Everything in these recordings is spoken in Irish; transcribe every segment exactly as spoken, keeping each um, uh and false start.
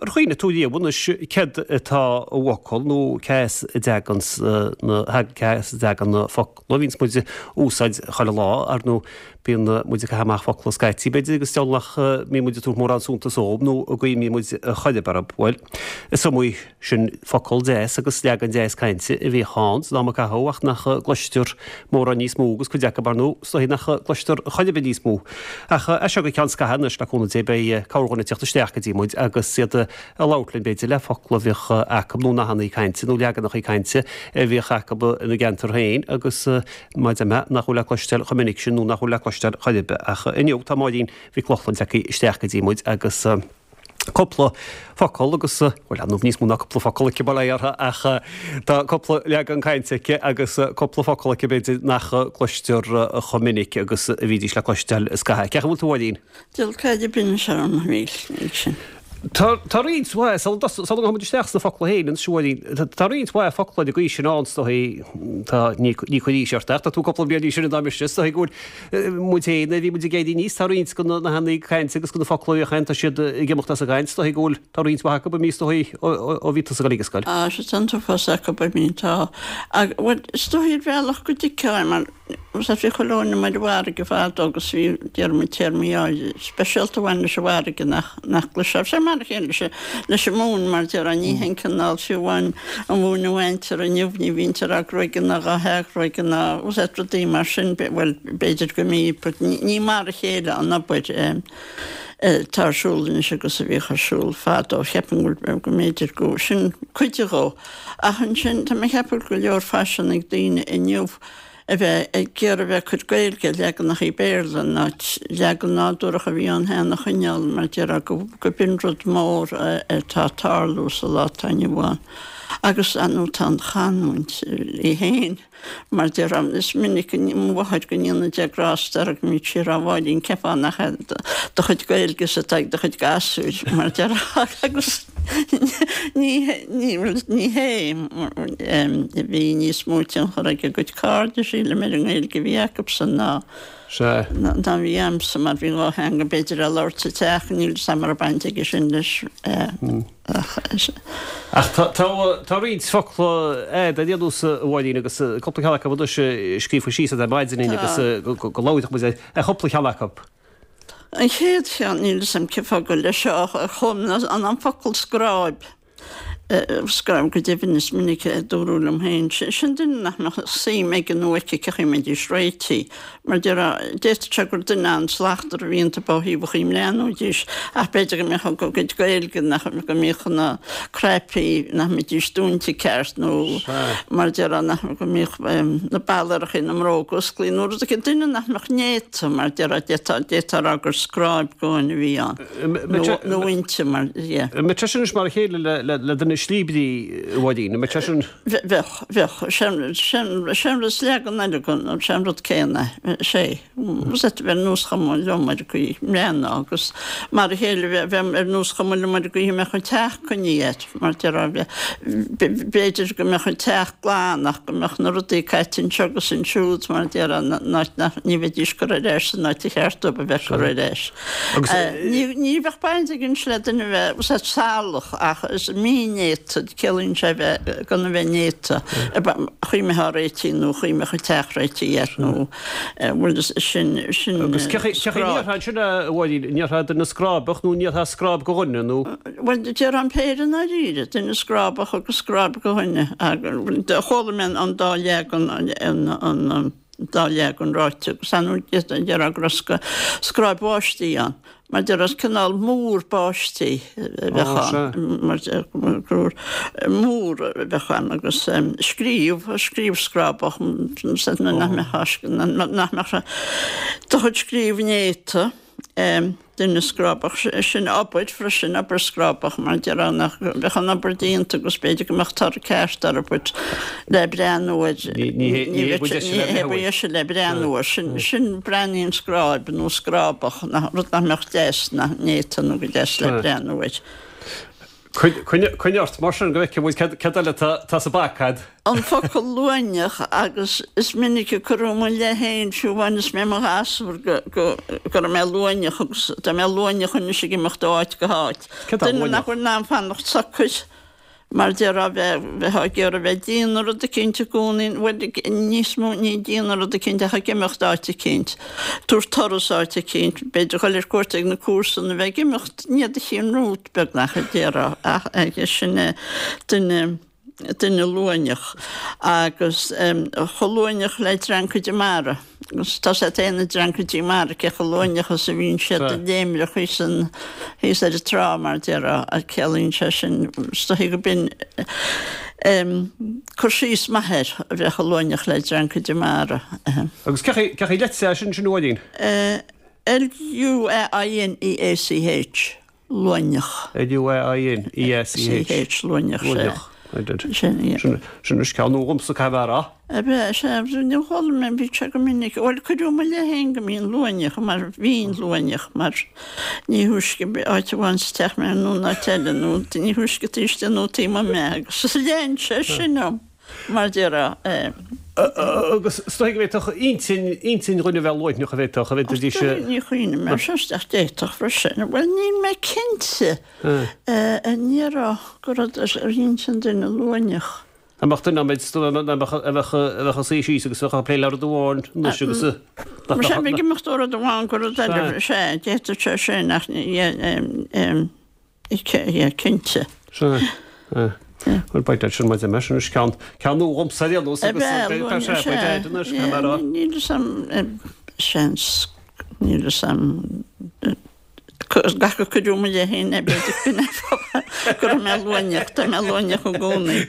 Ar chuimhnigh tú riamh anois céard atá i bhfocal nó cá as a dtagann na cá as a dtagann na focla a bhíonns muid a úsáid chuile lá? Ar ndóigh bíonn muid ag caitheamh amach focla scaití b'fhéidir agus is deabhal nach mbíonn muid ag tabhairt mórán suntais dóibh nó a gcuimhníonn muid chor ar bith orthu. Bhuel, is iomaí sin focal deas agus leagan deas cainte a bhíodh ann san am a caitheadh ach nach gcloistear mórán níos mó agus cuid acu ar ndóigh is dóichí nach gcloistear chor ar bith níos mó. Ach as seo go ceann scaithimh anois le cúnamh Dé beidh corrdhuine ag teacht isteach go dtí muid agus iad ag labhairt linn b'fhéidir le focla a bhíodh acu nó nathanna cainte nó leaganacha cainte a bhíodh acu ina gceantar féin agus mar a deir mé nach bhfuil le cloisteáil chomh minic sin nó nach bhfuil le cloisteáil chor ar bith. Ach inniu tá Máirín Mhic Lochlainn tagtha isteach go dtí muid agus cúpla focal agus, bhuel, ar ndóigh níos mó ná cúpla focal aici, bail ó Dhia uirthi, ach tá cúpla leagan cainte aici agus cúpla focal aici b'fhéidir nach gcloistear chomh minic agus a bhídís le cloisteáil scaithe. Cén chaoi a bhfuil tú, a Mháirín? Diabhal caide binnis orm, níl, níl sin. Tá, tá roinnt mhaith, sula sula ngabhaimid isteach sna focla féin anois, a Mháirín, tá roinnt mhaith focla den gcaoi sin ann, is dóigh, tá, ní, ní cuir aois ort ach tá tú cúpla bliain níos sine ná mise, is dóigh go bhfuil muid féin, nuair a bhí muid ag éirí aníos, tá roinnt de na nathanna cainte agus de na focla a bhíodh ann, tá siad ag imeacht as an gcaint, is dóigh go bhfuil, tá roinnt mhaith acu imithe, is dóigh, ó, ó, ó bhí tusa ag dul ag an scoil. Á, sea, tá an t-uafás acu imithe, tá. Ach, bhuel, is dóigh ar bhealach go dtuigfeá é mar, Sea, bhí chuile dhuine amuigh ar an bhfarraige fadó agus bhí, déarfaidh muid, téarmaí áirithe speisialta a bhain leis an bhfarraige nach, nach gcloisfeá. Sé mar a chéile leis an, leis an mhóin, mar déarfá, ní haon cineál, fiú amháin an mhóin a bhaintear inniu, ní bhítear á gruaigeadh ná dhá hathghruaigeadh ná, sea, rudaí mar sin, bhuel, b'fhéidir go mbí, but ní, ní mar a chéile an obair atá ar siúl anois agus a bhíodh ar siúl fadó. Cheapfainn go bhfuil, go mb'fhéidir go, sin cuid dhó. Ach ansin, tá mé ag ceapadh go leor faisean ag daoine inniu, a bheith ag iarraidh a bheith ag cur Gaeilge ar leaganachaí Béarla in áit leagan nádúrach a bhí ann cheana a choinneáil mar déarfá go go b'in rud mór atá ag tarlú sa lá atá inniu ann. Agus ar ndóigh tá an chanúint í féin mar déarfá is minic mo mháthair go ndéana Dia grásta uirthi go mbíodh sí ag rá a Mháirín cén fáth nach é do chuid Gaeilge atá ag do chuid gasúir mar déarfá agus Ní ní hé. Bhí níos mó tionchar ag a gcuid cairde, sílim, ar an nGaeilge a bhí acusan ná ná a bhí a'msa mar bhí dhá theanga b'fhéidir á labhairt sa teach, níl 'fhios a'm an raibh baint aige sin leis ach. Ach tá tá roinnt focla a'd ar aon nós a Mháirín agus cúpla ceann acu anois scríofa síos a'd ar maidin agus go labhróidh muid ar chúpla ceann acu. An chéad cheann, níl 'fhios a'm cén fáth gur leis seo a chum an an focal scráib, scráib go deimhin is minic a dúradh liom féin, sin duine nach mbeadh suim aige nó aici cén chaoi a mbeidís réitithe. Mar déarfá, d'fhéadfadh sé gur duine an-slachtmhar a bhí iontu ó thaobh an chaoi a mbreathnóidís ach b'fhéidir go mbeadh a gcuid Gaeilge, nach, go mbíodh na cnaipí, nach mbeidís dúinte ceart nó mar déarfá nach, go mbíodh na ballarachaí na mbróg osclaithe nó rud éigin, duine nach mbeadh néata mar déarfá, d'fhéadfá, d'fhéadfá a rá gur scráib de dhuine a bhí ann nó, nó inti mar, yeah. An mbeadh sé sin anois mar a chéile le, le, le duine slíobrí, a Mháirín, an mbeadh sé sin? Bheadh, bheadh, sé, sé, sé an rud, is leagan eile den, sé an rud céanna, sé. Bheadh ar nós chuma liom ar an gcaoi a mbreathnófá agus mar a chéile bheadh ar nós chuma liom ar an gcaoi a mbeadh an teach coinnithe air mar déarfá b'fhéidir go mbeadh an teach glan ach go mbeadh na rudaí caite anseo agus ansiúd mar déarfá in áit nach ní bheidís curtha ar ais san áit a cheart dóibh a bheith curtha ar ais. Ní ní bheadh baint aige le duine a bheith salach ach is mínéata ciallaíonn sé bheith gan a bheith néata chaoi a mbeifeá réitithe nó chaoi a mbeadh an teach réitithe air nó Bhuel, sin, sin Agus cé chaoi a ndéarfá ansin, a Mháirín, an ndéarfá duine scráibeach nó an ndéarfá scráib de dhuine nó? Bhuel, déarfá an péire i ndáiríre, duine scráibeach agus scráib de dhuine. Chuala mé an dá leagan, an dá leagan ráite agus ar ndóigh déarfá go raibh scráib bháistí ann. Mar déarfá is cineál múr báistí a bheadh ann, mar gur múr a bheadh ann agus scríobh, scríobh scráibeach, nach mbeadh do chuid scríobh néata, duine scráibeach, sin obair freisin, obair scráibeach, mar déarfá nach mbeadh an obair déanta agus b'fhéidir go mbeadh toradh ceart air but le breathnú air, ní hé ba dheise le breathnú air, sin breathnaíonn scráib nó scráibeach, rud nach mbeadh deas, nach néata nó go deas le breathnú air. Coinnigh ort mar sin go bhfeicfidh muid cad eile tá sa bpaca a'd. An focal luaineach agus is minic a cuireadh i mo leith féin fiú amháin is mé i mo ghasúr go go go raibh mé luaineach agus tá mé luaineach anois ag imeacht ó áit go háit. Cad é Duine luaineach? nach bhfuil in ann fanacht socair. Mar déarfá bheith bheith ag iarraidh bheith ag déanamh rud eicínt i gcónaí, bhuel níos mó ní ag déanamh rud eicínt ach ag imeacht áit eicínt, tabhairt turas áit eicínt, b'fhéidir dhul ar cuairt ag na comharsana, bheith ag imeacht i ndiaidh do chinn romhat beagnach a déarfá ach sin é duine duine luaineach agus chomh luaineach le dreancaidí mara. Agus tá sé féin na dreancaidí mara cé chomh luaineach is a bhíonn siad ag léimreach thíos an thíos ar an trá mar déarfá ach ciallaíonn sé sin is dóichí go b'in cur síos maith air a bheith chomh luaineach le dreancaidí mara. Agus cé chaoi leitse é sin sin a Mháirín? L-U-A-I-N-E-A-C-H. Luaineach. L-U-A-I-N-E-A-C-H. C-H, Luaineach, sea. Luaineach. Sin, yeah. Sin anois ceann nua dhomsa caithfidh mé a rá. Ab ea, sea, níor chuala mé, bhí sé go minic, bhuel, cuireadh i mo leith féin go mbínn luaineach, mar bhínn luaineach, mar ní thúisce áit amháin sa teach mé nó in áit eile, nó ní thúisce taobh istigh nó taobh amuigh mé, agus lean sé sin orm, mar déarfá. Agus is dóigh go bhféadfadh intinn, intinn dhuine a bheith luaineach, a bhféadfadh, a bhféadfaidís. Ní chuimhním air seo isteach, d'fhéadfadh freisin. Bhuel, níl mé cinnte an ndéarfá go raibh ar intinn duine luaineach. An mbeadh duine, an mbeadh, a bheadh, a bheadh ina suí síos agus bheadh ag plé le rud amháin anois agus Sea, bheadh ag imeacht ó rud amháin go rud eile, sea, d'fhéadfadh sé sin ach ní, yeah, cinnte. Sea, bhuel, beidh sin mar sin anois ceann, ceann nua dhomsa ar aon nós agus beidh sé, beidh air anois, caithfidh mé a rá. Níl fhios a'm, seans, níl fhios a'm, gach a cuireadh i mo leith féin é, b'fhéidir go b'in go raibh mé luaineach, tá mé luaineach i gcónaí.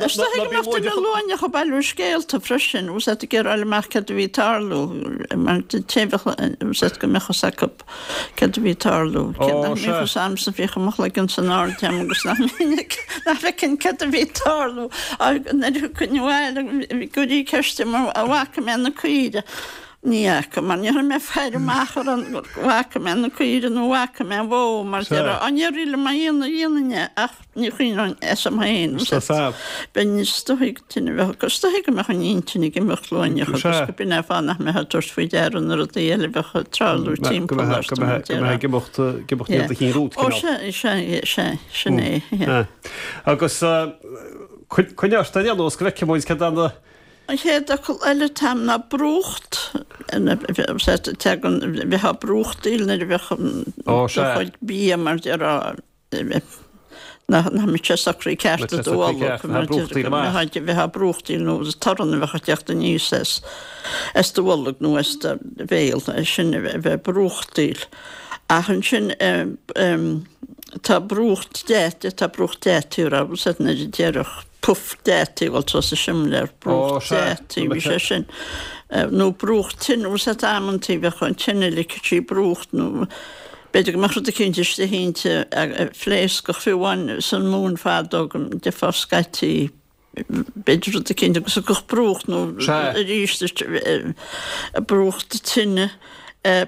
Is dóigh go mbeadh duine luaineach ag bailiú scéalta freisin, bhfuil fhios a'd ag iarraidh fháil amach céard a bhí ag tarlú, mar té bheadh, bhfuil fhios a'd go mbeadh fhios acu. Céard a bhí ag tarlú? Cé nach mbíodh fhios a'msa, bhíodh mo chloigeann san airde a'm agus nach minic nach bhfeicfinn céard a bhí ag tarlú. Nuair a thiocfainn abhaile gcuirí ceist orm an bhfaca mé na caoire. Ní fhaca, mar ní raibh mé ag faire amach ar an bhfaca mé na caoire nó an bhfaca mé an bhó mar déarfá. Á ní raibh mé a dhéanamh é ach ní chuimhneoinn asam féin. Bheinn is dóigh tine bheadh agus is dóigh go mbeadh an intinn ag imeacht luaineach agus go b'in é an fáth nach mbeifeá ag tabhairt faoi deara na rudaí eile a bheadh ag tarlú timpeall ort. Go mbeifeá ag imeacht ag imeacht i ndiaidh do chinn romhat, cineál. Ó sea, sea, sea, sin é, yeah. Agus coinnigh ort ar aon nós go bhfeicfidh muid cad é na. An chéad fhocal eile atá a'm ná brúcht, tagann, bheifeá ag brúchtaíl nuair a bheadh do chuid bia mar déarfá. Nach mbeadh sé socraithe ceart i do bholg, mar bheifeá ag brúchtaíl nó torann a bheadh ag teacht aníos as as do bholg nó as do bhéal, sin a bheith ag brúchtaíl. Ach ansin tá brúcht deataigh, tá brúcht deataigh a raibh fhios a'd nuair a déarfadh puf deataigh, bhuel tá sa simléar, brúcht deataigh, bhí sé sin. Nó brúcht tine, bhfuil fhios a'd amantaí bheadh an tine ligfeadh sí brúcht nó B'fhéidir go mbeadh rud eicínt istigh inti a phléascfadh, fiú amháin san mhóin fadó go ndeirfeá scaití, b'fhéidir rud eicínt agus thiocfadh brúcht nó arís brúcht tine,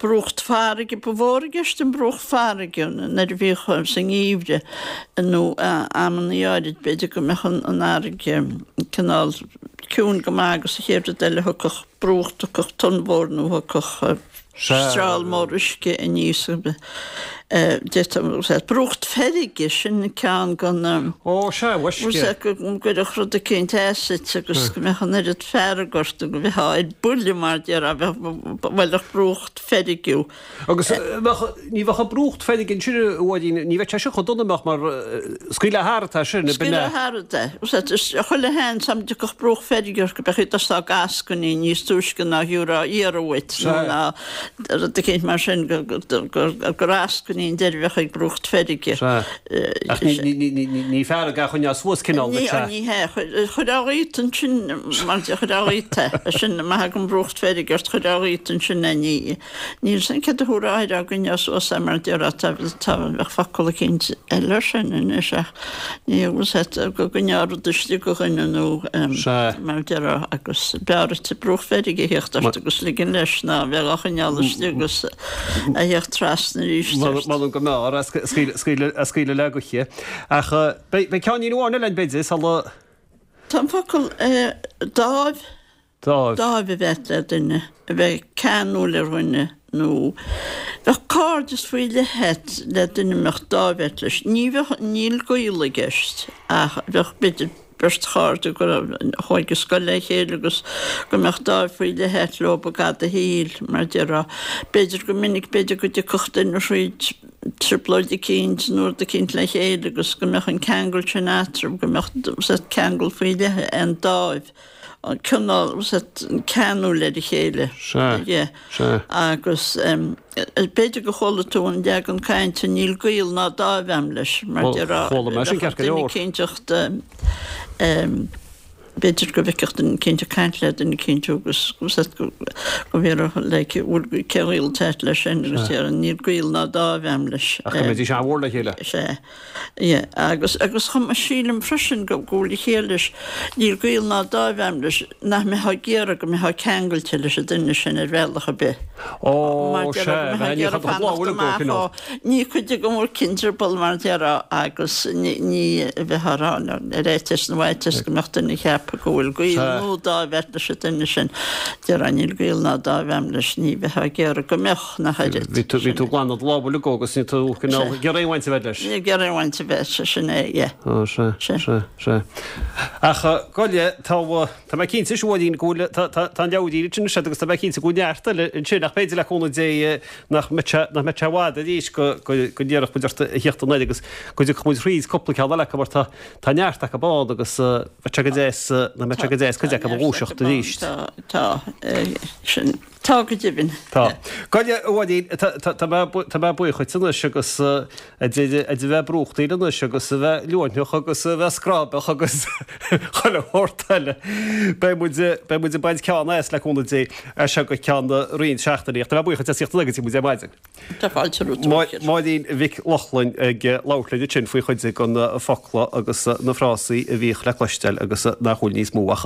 brúcht farraige, ba mhór i gceist an brúcht farraige nuair a bhíodh sa ngeimhreadh nó amannaí áirid b'fhéidir go mbeadh an fharraige cineál ciúin go maith agus an chéad rud eile thiocfadh brúcht, thiocfadh tonn mhór nó thiocfadh. Streall mór uisce aníos d'fhéadfadh brúcht feirge, sin ceann de na. Ó, sea, uisce. Go gcuirfeadh rud eicínt asat agus go mbeadh an oiread fearg ort go mbeifeá ar buile mar déarfá, bhuailfeadh brúcht feirge thú. Agus bheadh, ní bheadh an brúcht feirge ansin, a Mháirín, ní bheadh sé sin chomh dona, an mbeadh, mar scaoileadh thart é sin, ab in é? Scaoileadh thart é. Chuile sheans dá dtiocfadh brúcht feirge ort go mbeadh tú ag eascainí níos túisce ná gheofá iarraidh uait nó ná rud eicínt mar sin gur eascainí an deireadh a bheadh ag brúcht feirge. Sea. Ach ní fearg a choinneáil suas cineál duit, sea. Ní hea. Chuirfeá dhíot ansin mar chuirfeá dhíot é. Sin má thagann brúcht feirge ort chuirfeá dhíot ansin é. Ní Níl 'fhios a'm céard a thabharfá air á gcoinneáil suas é mar déarfá tá tá bheadh focal eicínt eile air sin anois ach ní bhfuil 'fhios a'd go gcoinneá rud istigh de dhuine nó mar déarfá agus b'fhearr duit brúcht feirge a theacht ort agus ligean leis ná bheith á choinneáil istigh agus a theacht trasna arís ort. M'anam go mb'fhearr a scaoileadh le gaoth. Ach beidh ceainnín amháin eile ann b'fhéidir sula. Tá an focal dáimh. Dáimh. Dáimh a bheith le duine, a bheith ceanúil ar dhuine nó bheadh cairdeas faoi leith a't le duine a mbeadh dáimh a't leis. Ní bheadh, níl gaol i gceist ach bheadh b'fhéidir beirt chairde go raibh, a chuaigh go scoil le chéile agus go mbeadh dáimh faoi leith a't leo i gcaitheamh do shaoil, mar a déarfá. B'fhéidir go minic, b'fhéidir go dtiocfadh duine thríd trioblóid eicínt nó rud eicínt le chéile agus go mbeadh an ceangal sin eatarthu, go mbeadh ceangal faoi leith, an dáimh. an cineál ceanúil ar a chéile. Sea, sea. Agus b'fhéidir gur chuala tú an leagan cainte 'níl gaol ná dáimh a'm leis' mar déarfá. Chuala mé sin ceart go leor. Duine eicínt b'fhéidir go bhfeicfeadh duine eicínt ag caint le duine eicínt agus go bhfiafródh like bhfuil cén gaol atá a't leis sin agus déarfá 'níl gaol ná dáimh a'm leis'. Ach go mbeidís an-mhór le chéile. Sea. Yeah, agus, agus chomh maith, sílim freisin go, go bhfuil a chiall leis, níl gaol ná dáimh a'm leis, nach mbeifeá ag iarraidh go mbeifeá ceangailte leis an duine sin ar bhealach ar bith. Ó, Mar sea, déarfá, go mbeifeá ag ní iarraidh chun fanacht bhfuil amach cineál. ó, ní cuid de go bhfuil cinntearbal mar déarfá agus ní, ní bheifeá ag rá ar fhaitíos na bhfaitíos go mbeadh duine ag ceapadh go bhfuil gaol Sea. nó dáimh a't leis an duine sin. Déarfá níl gaol ná dáimh a'm leis, ní bheifeá ag iarraidh go mbeadh, nach oiread. Bhí tú, bhí tú ag glanadh do lámha uilig agus ní tú cineál ag iarraidh aon bhaint a bheith leis. Ní ag iarraidh aon bhaint a bheith, sé sin é, yeah. Ó, sea, Sea. sea, sea. Ach gabh i leith, tá, tá mé cinnte, a Mháirín, go bhfuil, tá, tá, tá an leabhairín ansin anois agus tá mé cinnte go bhfuil neart eile ansin ach b'fhéidir le cúnamh Dé nach mbeidh sé, nach mbeidh sé i bhfad arís go, go, go n-iarrfadh muid ort a thíocht anoir agus go dtiocfadh muid thríd cúpla ceann eile acu mar tá, tá neart acu ann agus bheadh sé go deas, nach mbeadh sé go deas cuid Tá acu a neart dhúiseacht acu ann, arís. tá, tá, sin. Tá go deimhin. Tá. Gabh i leith, a Mháirín, tá tá mé buíoch dhuit anois agus a bheith brúchtaíl anois agus a bheith luaithneach agus a bheith scráibeach agus chuile shórt eile. Beidh muid beidh muid ag baint ceann as le cúnamh Dé as seo go ceann roinnt seachtainí. Ach tá mé buíoch dhuit as thíocht anoir go dtí muid ar maidin. Tá fáilte romhat, a Mhíchíl. Máirín Mhic Lochlainn ag labhairt linn ansin faoi chuid de na focla agus na frásaí a bhíodh le cloisteáil agus nach bhfuil níos mó ach.